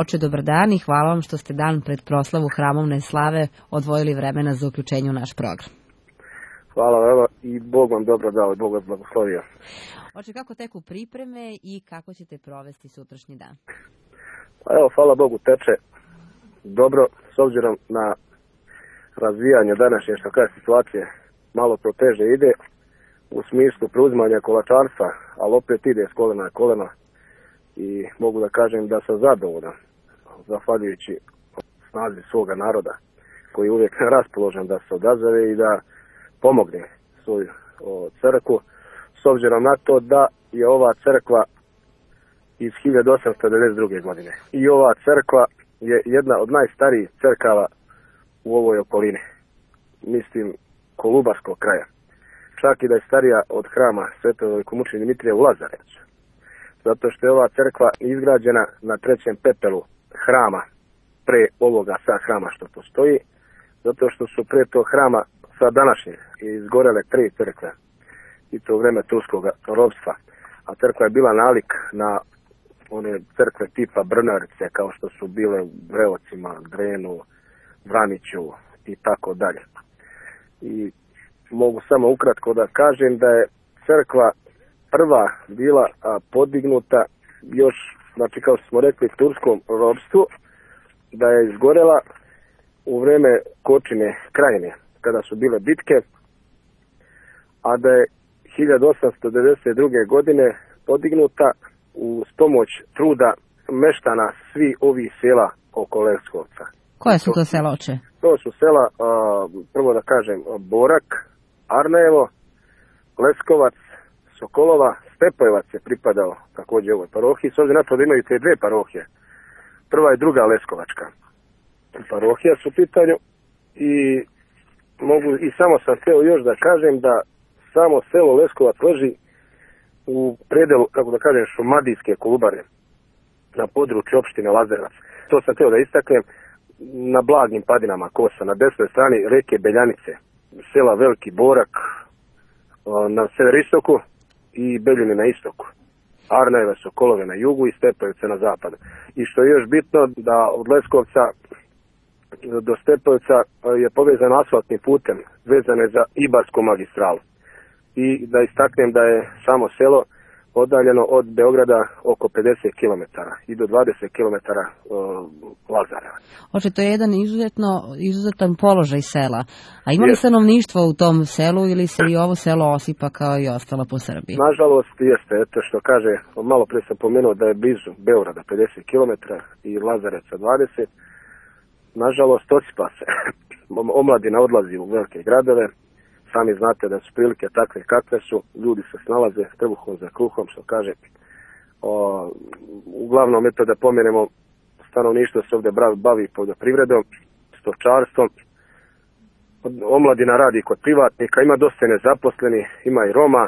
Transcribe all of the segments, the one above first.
Oče, dobar dan i hvala vam što ste dan pred proslavu hramovne slave odvojili vremena za uključenje u naš program. Hvala vam i Bog vam dobro dao i Bog vas blagoslovio. Oče, kako teku pripreme i kako ćete provesti sutrašnji dan? Pa evo, hvala Bogu, teče dobro, s obzirom na razvijanje današnje situacije, malo to teže ide u smislu preuzimanja kolačarstva, ali opet ide s kolena na koleno i mogu da kažem da sam zadovoljan, zahvaljujući snazi svoga naroda koji je uvijek raspoložen da se odazove i da pomogne svoju crkvu, s obzirom na to da je ova crkva iz 1892. godine. I ova crkva je jedna od najstarijih crkava u ovoj okolini, mislim Kolubarskog kraja. Čak i da je starija od hrama Svetog velikomučenika Dimitrija u Lazarevcu. Zato što je ova crkva izgrađena na trećem pepelu hrama, pre ovoga sad hrama što postoji, zato što su pre tog hrama sa današnjeg izgorele 3 crkve, i to u vreme turskog ropstva. A crkva je bila nalik na one crkve tipa Brnarice, kao što su bile u Breocima, Drenu, Vraniću i tako dalje. I mogu samo ukratko da kažem da je crkva prva bila podignuta još, znači kao što smo rekli, turskom ropstvu, da je izgorela u vreme Kočine krajine, kada su bile bitke, a da je 1892. godine podignuta uz pomoć truda meštana svi ovih sela oko Leskovca. Koje su to sela, oče? To su sela, prvo da kažem, Borak, Arnevo, Leskovac, Sokolova, Stepojevac je pripadao također ovoj parohiji, s obzirom na to da imaju te 2 parohije. Prva i druga Leskovačka parohija su u pitanju i samo sam htio još da kažem da samo selo Leskovac leži u predelu, kako da kažem, šumadijske Kolubare, na području opštine Lazarevac. To sam htio da istaknem, na blagim padinama Kosa, na desnoj strani reke Beljanice, sela Veliki Borak na severistoku i Beljine na istoku. Arneve, Sokolove na jugu i Stepojevice na zapadu. I što je još bitno, da od Leskovca do Stepojevca je povezan asfaltnim putem, vezane za Ibarsku magistralu. I da istaknem da je samo selo odaljeno od Beograda oko 50 km i do 20 km Lazareva. Oče, to je jedan izuzetan položaj sela. A ima li stanovništvo u tom selu ili se i ovo selo osipa kao i ostalo po Srbiji? Nažalost jeste, eto što kaže, malo prije sam pomenuo da je blizu Beograda 50 km i Lazarevca 20. Nažalost osipa se. Omladina odlazi u velike gradove. Sami znate da su prilike takve kakve su, ljudi se snalaze trbuhom za kruhom, što kaže. Uglavnom, eto da pomenemo, stanovništvo se ovdje bavi poljoprivredom, stočarstvom. Omladina radi kod privatnika, ima dosta nezaposlenih, ima i Roma,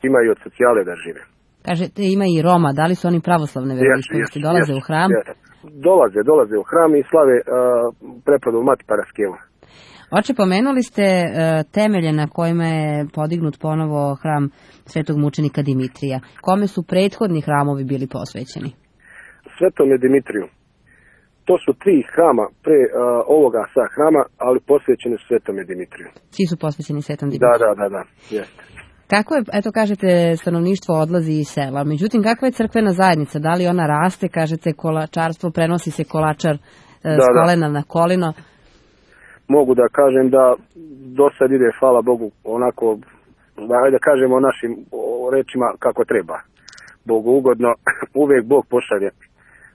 ima i od socijale da žive. Kažete, ima i Roma, da li su oni pravoslavne veroispovesti, dolaze u hram? Dolaze u hram i slave prepodnu Mati Paraskevu. Oče, pomenuli ste temelje na kojima je podignut ponovo hram Svetog mučenika Dimitrija. Kome su prethodni hramovi bili posvećeni? Svetom Dimitriju. To su 3 hrama pre ovoga sa hrama, ali posvećeni su Svetom Dimitriju. Svi su posvećeni Svetom Dimitriju? Da, jeste. Kako je, eto kažete, stanovništvo odlazi iz sela, međutim kakva je crkvena zajednica? Da li ona raste, kažete kolačarstvo, prenosi se kolačar s kolena na kolino? Mogu da kažem da do sad ide, hvala Bogu, onako, da kažemo našim rečima kako treba. Bogu ugodno, uvijek Bog pošalje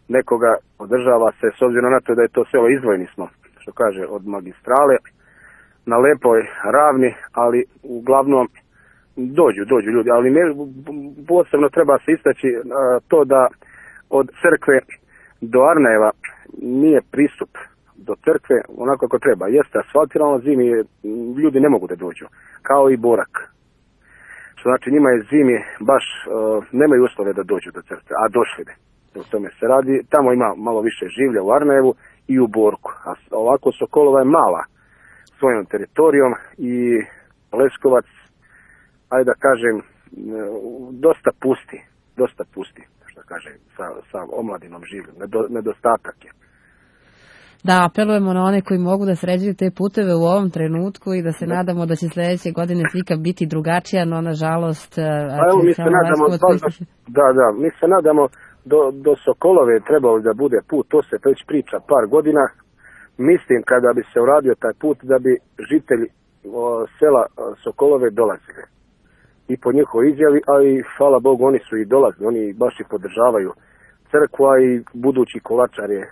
nekoga, održava se, s obzirom na to da je to selo izdvojeni smo, što kaže, od magistrale, na lepoj ravni, ali uglavnom dođu ljudi, ali posebno treba se istaći to da od crkve do Arneva nije pristup do crkve onako kako treba. Jeste asfaltirano, zimi ljudi ne mogu da dođu, kao i Borak. Što znači njima je zimi baš nemaju uslove da dođu do crkve, a došli bi. O tome se radi. Tamo ima malo više življa u Arnevu i u Borku. A ovako Sokolova je mala svojom teritorijom i Leskovac, ajde da kažem, dosta pusti. što kaže, sa omladinom živim. Nedostatak je. Da, apelujemo na one koji mogu da sređuju te puteve u ovom trenutku i da se nadamo da će sledeće godine slika biti drugačija, no nažalost... mi se nadamo, mi se nadamo do Sokolove trebalo da bude put, to se već priča par godina. Mislim kada bi se uradio taj put da bi žitelji sela Sokolove dolazili. I po njihovoj izjavi, ali hvala Bogu oni su i dolazili, oni baš i podržavaju crkva i budući kolačar je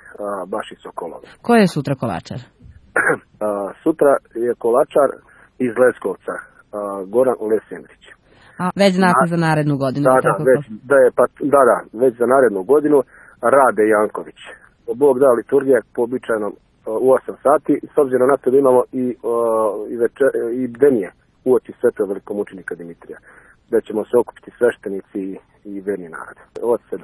baš iz Sokolove. Ko je sutra kolačar? Sutra je kolačar iz Leskovca, Goran Lesendrić. A već znate za narednu godinu? Već za narednu godinu Rade Janković. Bog da, liturgija po običajnom u 8 sati, s obzirom na to da imamo i bdenije uoči svetog velikomučenika Dimitrija, da ćemo se okupiti sveštenici i verni narod od 17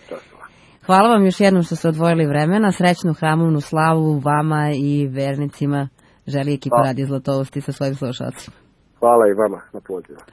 časova. Hvala vam još jednom što ste odvojili vremena, srećnu hramovnu slavu vama i vernicima želi ekipa Radio Zlatovosti sa svojim slušalcima. Hvala i vama na pozivu.